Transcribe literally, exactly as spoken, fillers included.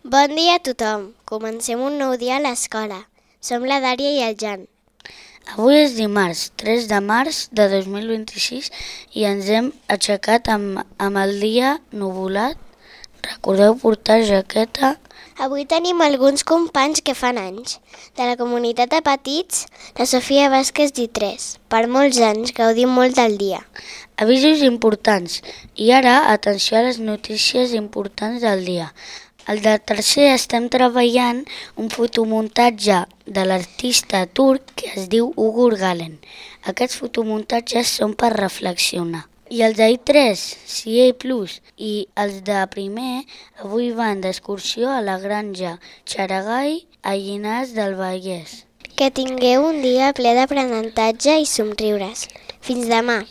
Bon dia a tothom. Comencem un nou dia a l'escola. Som la Dària i el Jan. Avui és dimarts, tres de març de dos mil vint-i-sis i ens hem aixecat amb, amb el dia nuvolat. Recordeu portar jaqueta. Avui tenim alguns companys que fan anys. De la comunitat de petits, la Sofia Vázquez d'I tres. Per molts anys, gaudim molt del dia. Avisos importants. I ara, atenció a les notícies importants del dia. El de tercer estem treballant un fotomuntatge de l'artista turc que es diu Ugur Galen. Aquests fotomuntatges són per reflexionar. I els d'I tres, C A plus, i els de primer avui van d'excursió a la granja Xaragai a Llinars del Vallès. Que tingueu un dia ple d'aprenentatge i somriures. Fins demà!